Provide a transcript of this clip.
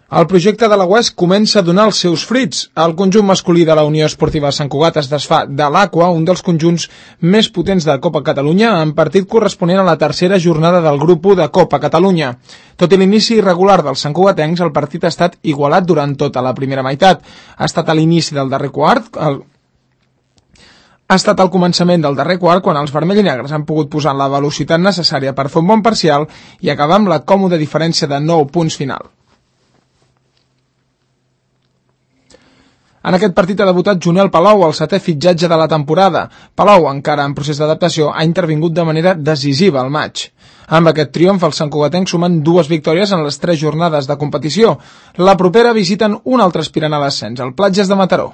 El projecte de la UES comença a donar els seus fruits. El conjunt masculí de la Unió Esportiva Sant Cugat es desfà de l'Aqua, un dels conjunts més potents de Copa Catalunya, en partit corresponent a la tercera jornada del grup 1 de Copa Catalunya. Tot i l'inici irregular dels santcugatencs, el partit ha estat igualat durant tota la primera meitat. Ha estat a l'inici del darrer quart, Ha estat al començament del darrer quart quan els vermells i negres han pogut posar la velocitat necessària per fer un bon parcial i acabar amb la còmoda diferència de 9 punts final. En aquest partit ha debutat Junel Palou, el setè fitxatge de la temporada. Palou, encara en procés d'adaptació, ha intervingut de manera decisiva al maig. Amb aquest triomf, els santcugatencs sumen 2 victòries en les 3 jornades de competició. La propera visiten un altre aspirant a l'ascens, el Platges de Mataró.